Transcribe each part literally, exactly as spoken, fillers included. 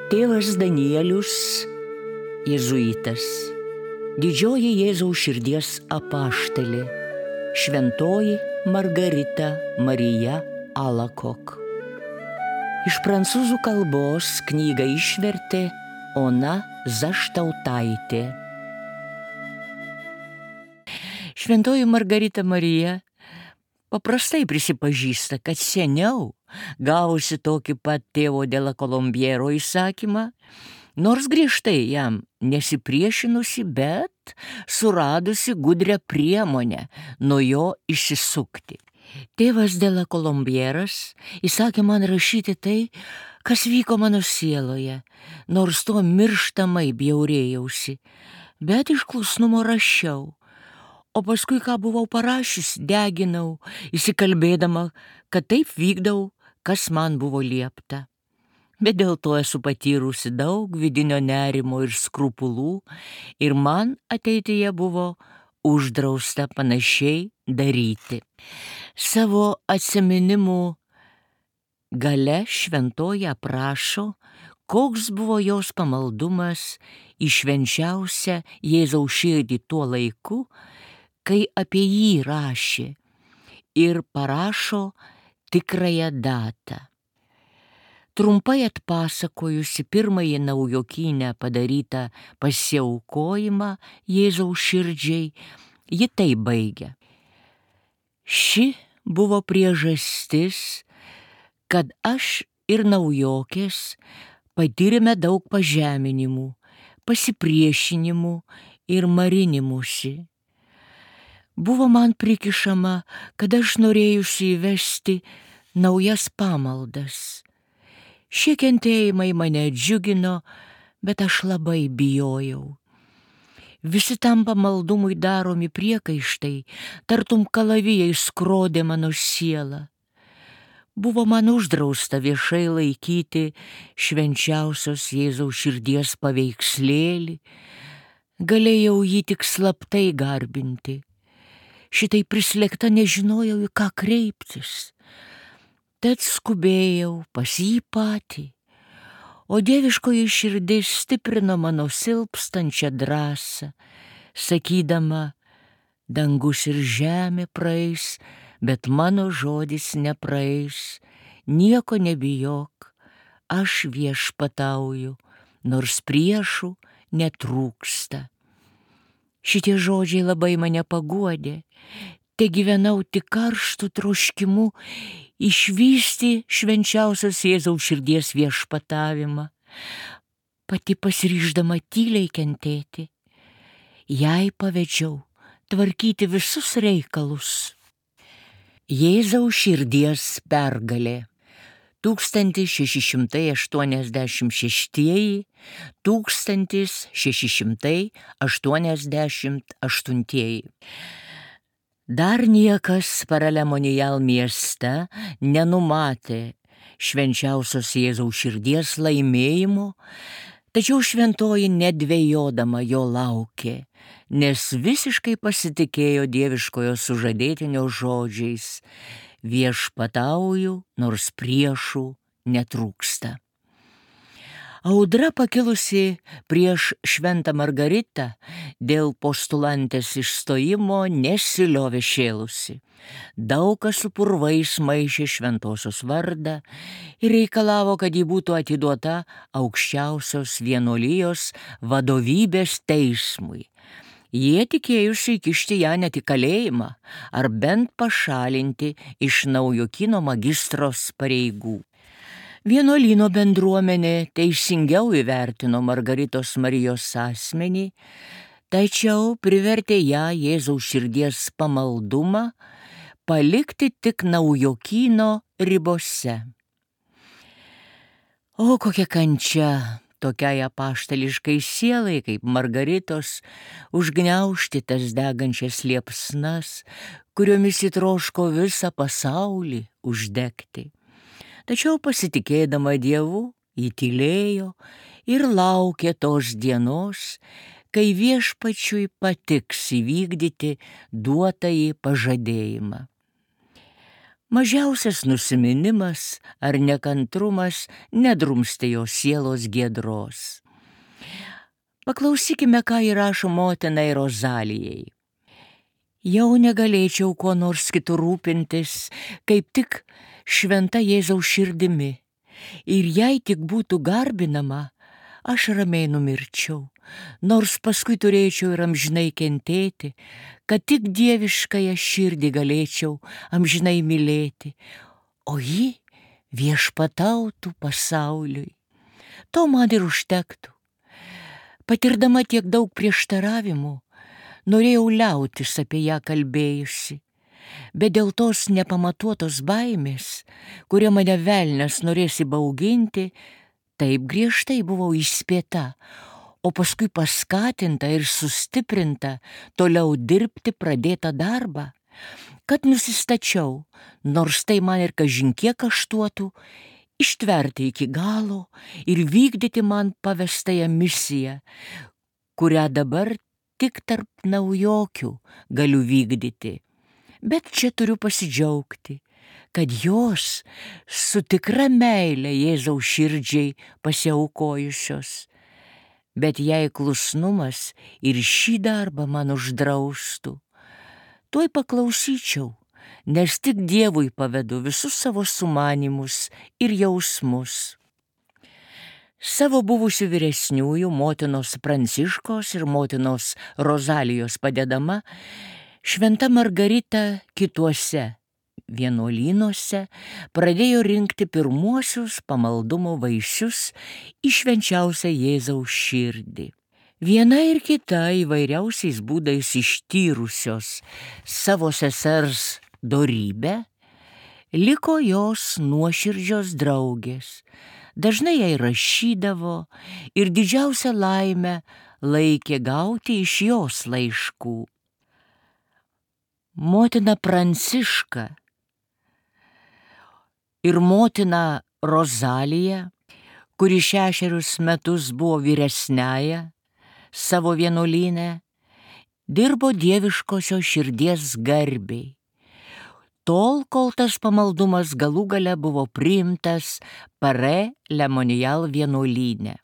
Tėvas Danielius, jėzuitas, didžioji Jėzaus širdies apaštalė, šventoji Margarita Marija Alacoque. Iš prancūzų kalbos knygą išvertė Ona Zaštautaitė. Šventoji Margarita Marija paprastai prisipažįsta, kad seniau, gavusi tokį pat tėvo de la Colombiero įsakymą, nors griežtai jam nesipriešinusi, bet suradusi gudrią priemonę nuo jo išsisukti. Tėvas de la Colombieras įsakė man rašyti tai, kas vyko mano sieloje, nors tuo mirštamai bjaurėjausi, bet iš klusnumo rašiau. O paskui, ką buvau parašius, deginau, įsikalbėdama, kad taip vykdau, kas man buvo liepta. Bet dėl to esu patyrusi daug vidinio nerimo ir skrupulų, ir man ateityje buvo uždrausta panašiai daryti. Savo atsiminimų gale šventoji aprašo, koks buvo jos pamaldumas į švenčiausią Jėzaus širdį tuo laiku, kai apie jį rašė, ir parašo tikrąją datą. Trumpai atpasakojusi pirmąjį naujokynę padarytą pasiaukojimą Jėzaus širdžiai, ji tai baigia. Ši buvo priežastis, kad aš ir naujokės patyrėme daug pažeminimų, pasipriešinimų ir marinimusi. Buvo man prikišama, kad aš norėjusi įvesti naujas pamaldas. Šie kentėjimai mane džiugino, bet aš labai bijojau. Visi tam pamaldumui daromi priekaištai, tartum kalavijai skrodė mano sielą. Buvo man uždrausta viešai laikyti švenčiausios Jėzaus širdies paveikslėlį, galėjau jį tik slaptai garbinti. Šitai prislėgta nežinojau, į ką kreiptis. Tad skubėjau pas jį patį, o dieviškoji širdis stiprino mano silpstančią drąsą, sakydama, dangus ir žemė praeis, bet mano žodis nepraeis, nieko nebijok, aš viešpatauju, nors priešų netrūksta. Šitie žodžiai labai mane paguodė, te gyvenau tik karštų troškimu išvysti švenčiausios Jėzaus širdies viešpatavimą, pati pasiryždama tyliai kentėti. Jai pavedžiau tvarkyti visus reikalus. Jėzaus širdies pergalė. tūkstantis šeši šimtai aštuoniasdešimt šeštieji - tūkstantis šeši šimtai aštuoniasdešimt aštuntieji. Dar niekas Paralemonial mieste nenumatė švenčiausios Jėzaus širdies laimėjimo, tačiau šventoji nedvejodama jo laukė, nes visiškai pasitikėjo dieviškojo sužadėtinio žodžiais: viešpatauju, nors priešų netrūksta. Audra pakilusi prieš šventą Margaritą dėl postulantės išstojimo nesiliovė šėlusi. Daug kas su purvais maišė šventosios vardą ir reikalavo, kad ji būtų atiduota aukščiausios vienuolijos vadovybės teismui. Jie tikėjusi įkišti ją net į kalėjimą ar bent pašalinti iš naujokyno magistros pareigų. Vienuolyno bendruomenė teisingiau įvertino Margaritos Marijos asmenį, tačiau privertė ją Jėzaus širdies pamaldumą palikti tik naujokyno ribose. O kokia kančia tokiai apaštališkai sielai kaip Margaritos užgniaužti tas degančias liepsnas, kuriomis įtroško visą pasaulį uždegti. Tačiau pasitikėdama Dievu, ji tylėjo ir laukė tos dienos, kai viešpačiui patiks įvykdyti duotąjį pažadėjimą. Mažiausias nusiminimas ar nekantrumas nedrumstė jo sielos giedros. Paklausykime, ką įrašo motinai Rozalijai. Jau negalėčiau kuo nors kitų rūpintis, kaip tik šventa Jėzaus širdimi. Ir jei tik būtų garbinama, aš ramiai numirčiau, nors paskui turėčiau ir amžinai kentėti, kad tik dieviškąją širdį galėčiau amžinai mylėti, o ji viešpatautų pasauliui. To man ir užtektų. Patirdama tiek daug prieštaravimų, norėjau liautis apie ją kalbėjusi, bet dėl tos nepamatuotos baimės, kuria mane velnias norės įbauginti, taip griežtai buvau įspėta, o paskui paskatinta ir sustiprinta toliau dirbti pradėtą darbą, kad nusistačiau, nors tai man ir kažin kiek kaštuotų, ištverti iki galo ir vykdyti man pavestąją misiją, kurią dabar tik tarp naujokių galiu vykdyti. Bet čia turiu pasidžiaugti, kad jos su tikra meile Jėzaus širdžiai pasiaukojusios. Bet jei klusnumas ir šį darbą man uždraustų, tuoj paklausyčiau, nes tik Dievui pavedu visus savo sumanymus ir jausmus. Savo buvusių vyresniųjų motinos Pranciškos ir motinos Rozalijos padedama, šventa Margarita kituose vienuolynuose pradėjo rinkti pirmuosius pamaldumo vaisius į švenčiausią Jėzaus širdį. Viena ir kita įvairiausiais būdais ištyrusios savo sesers dorybę, liko jos nuoširdžios draugės. Dažnai jai rašydavo ir didžiausią laimę laikė gauti iš jos laiškų. Motina Pranciška ir motina Rozalija, kuri šešerius metus buvo vyresniaja savo vienuolyne, dirbo dieviškosios širdies garbiai, tol, kol tas pamaldumas galų gale buvo priimtas Pare Lemonijal vienuolyne.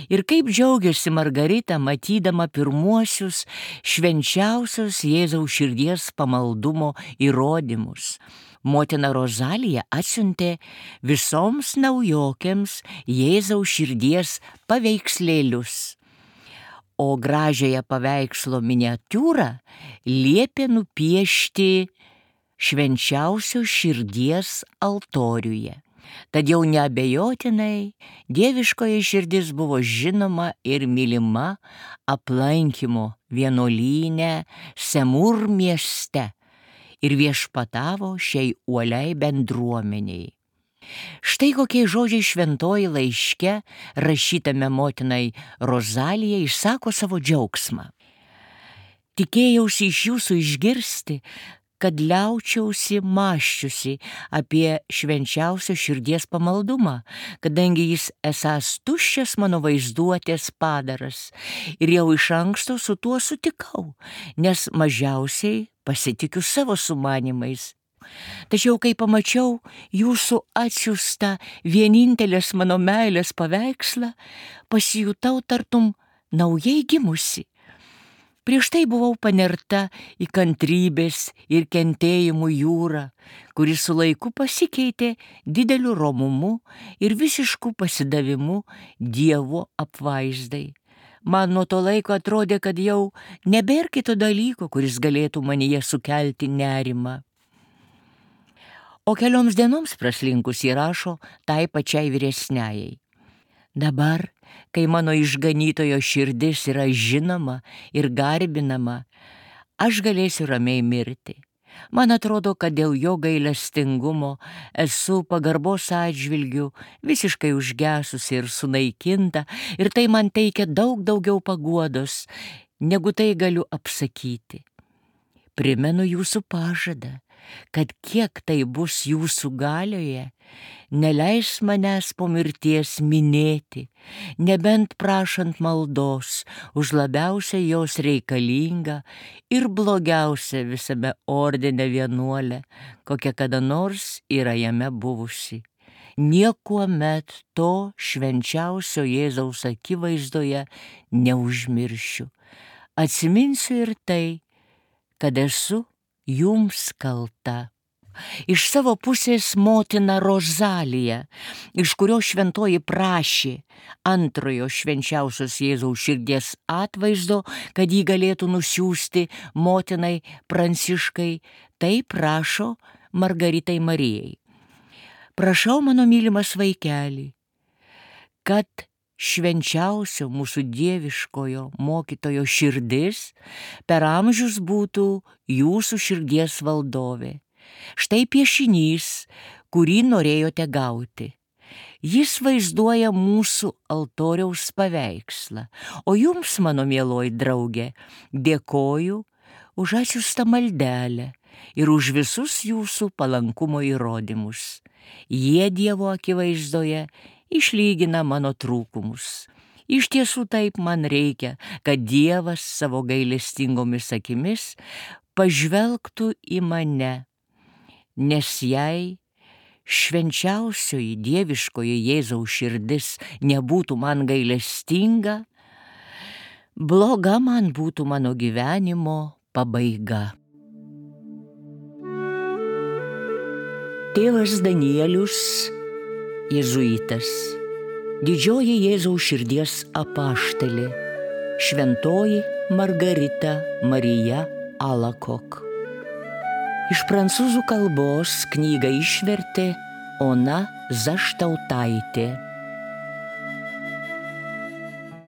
Ir kaip džiaugiasi Margarita, matydama pirmuosius švenčiausios Jėzaus širdies pamaldumo įrodymus. Motina Rozalija atsiuntė visoms naujokėms Jėzaus širdies paveikslėlius, o gražiąją paveikslo miniatiūrą liepė nupiešti švenčiausios širdies altoriuje. Tad jau neabejotinai dieviškoji širdis buvo žinoma ir mylima aplankymo vienuolyne Semur mieste ir viešpatavo šiai uoliai bendruomeniai. Štai kokie žodžiai šventoji laiške rašytame motinai Rozalijai išsako savo džiaugsmą. Tikėjausi iš jūsų išgirsti, kad liaučiausi mąščiusi apie švenčiausio širdies pamaldumą, kadangi jis esąs tuščias mano vaizduotės padaras, ir jau iš anksto su tuo sutikau, nes mažiausiai pasitikiu savo sumanimais. Tačiau, kai pamačiau jūsų atsiųstą vienintelės mano meilės paveikslą, pasijutau tartum naujai gimusi. Prieš tai buvau panerta į kantrybės ir kentėjimų jūrą, kuris su laiku pasikeitė dideliu romumu ir visišku pasidavimu Dievo apvaizdai. Man nuo to laiko atrodė, kad jau nebėr kito dalyko, kuris galėtų manyje sukelti nerimą. O kelioms dienoms praslinkus įrašo tai pačiai vyresniajai. Dabar, kai mano išganytojo širdis yra žinoma ir garbinama, aš galėsiu ramiai mirti. Man atrodo, kad dėl jo gailestingumo esu pagarbos atžvilgių visiškai užgesusi ir sunaikinta, ir tai man teikia daug daugiau paguodos, negu tai galiu apsakyti. Primenu jūsų pažadą, kad kiek tai bus jūsų galioje, neleis manęs po mirties minėti, nebent prašant maldos už labiausiai jos reikalingą ir blogiausią visame ordine vienuolę, kokia kada nors yra jame buvusi. Niekuomet to švenčiausio Jėzaus akivaizdoje neužmiršiu. Atsiminsiu ir tai, kad esu jums kalta. Iš savo pusės motina Rozalija, iš kurio šventoji prašė antrojo švenčiausios Jėzaus širdies atvaizdo, kad jį galėtų nusiųsti motinai Pranciškai, tai prašo Margaritai Marijai. Prašau, mano mylimas vaikeli, kad švenčiausio mūsų dieviškojo mokytojo širdis per amžius būtų jūsų širdies valdovė. Štai piešinys, kurį norėjote gauti. Jis vaizduoja mūsų altoriaus paveikslą, o jums, mano mieloji draugė, dėkoju už atsiųstą maldelę ir už visus jūsų palankumo įrodymus. Jie Dievo akivaizdoje išlygina mano trūkumus. Iš tiesų taip man reikia, kad Dievas savo gailestingomis akimis pažvelgtų į mane, nes jei švenčiausioji dieviškoji Jėzaus širdis nebūtų man gailestinga, bloga man būtų mano gyvenimo pabaiga. Tėvas Danielius, jėzuitas, didžioji Jėzaus širdies apaštalė, šventoji Margarita Marija Alakok. Iš prancūzų kalbos knygą išvertė Ona Zaštautaitė.